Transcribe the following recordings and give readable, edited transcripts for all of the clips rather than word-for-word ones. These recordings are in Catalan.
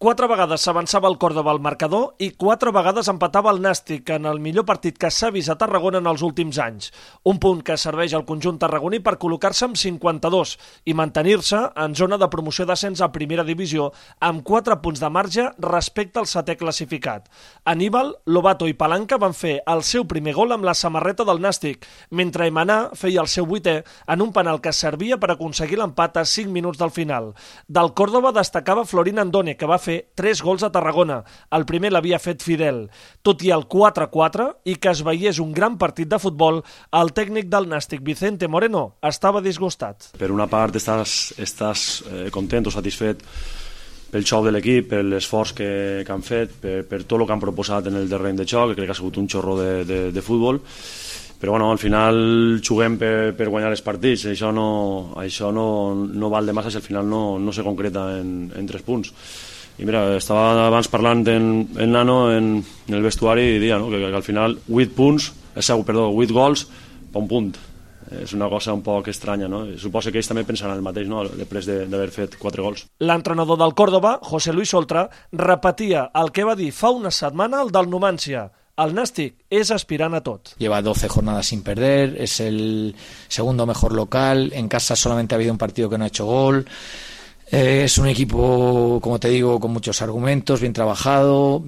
4 vegades s'avançava el Córdoba al marcador i 4 vegades empatava el Nàstic en el millor partit que s'ha vist a Tarragona en els últims anys. Un punt que serveix al conjunt tarragoní per col·locar-se amb 52 i mantenir-se en zona de promoció d'ascens a primera divisió amb 4 punts de marge respecte al setè classificat. Aníbal, Lobato i Palanca van fer el seu primer gol amb la samarreta del Nàstic, mentre Emaná feia el seu 8è en un penal que servia per aconseguir l'empat a 5 minuts del final. Del Córdoba destacava Florín Andone, que va fer 3 gols a Tarragona. El primer l'havia fet Fidel. Tot i el 4-4 i que es veiés un gran partit de futbol, el tècnic del Nàstic, Vicente Moreno, estava disgustat. Per una part estàs content o satisfet pel xoc de l'equip, per l'esforç que han fet, per tot el que han proposat en el terreny de xoc, que crec que ha sigut un xorro de futbol. Però bueno, al final juguem per guanyar els partits, això no val de massa si al final no se concreta en 3 punts. I mira, estava abans parlant en Nano en el vestuari i dia, no? que al final 8 gols per un punt. És una cosa un poc estranya, no? Suposo que ells també pensaran el mateix, no? Després d'haver fet 4 gols. L'entrenador del Córdoba, José Luis Oltra, repetia el que va dir fa una setmana el del Numancia. El Nàstic es aspirant a tot. Lleva 12 jornadas sin perder, es el segundo mejor local, en casa solamente ha habido un partido que no ha hecho gol. Es un equipo, como te digo, con muchos argumentos, bien trabajado,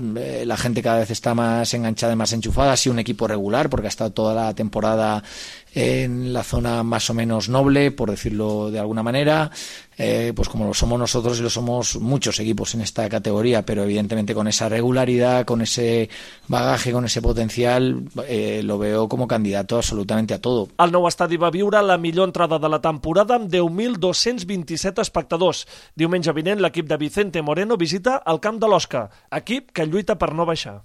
la gente cada vez está más enganchada y más enchufada, ha sido un equipo regular porque ha estado toda la temporada en la zona más o menos noble, por decirlo de alguna manera, pues como lo somos nosotros y lo somos muchos equipos en esta categoría, pero evidentemente con esa regularidad, con ese bagaje, con ese potencial, lo veo como candidato absolutamente a todo. El nou estadi va viure la millor entrada de la temporada amb 10.227 espectadors. Diumenge vinent l'equip de Vicente Moreno visita el camp de l'Osca, equip que lluita per no baixar.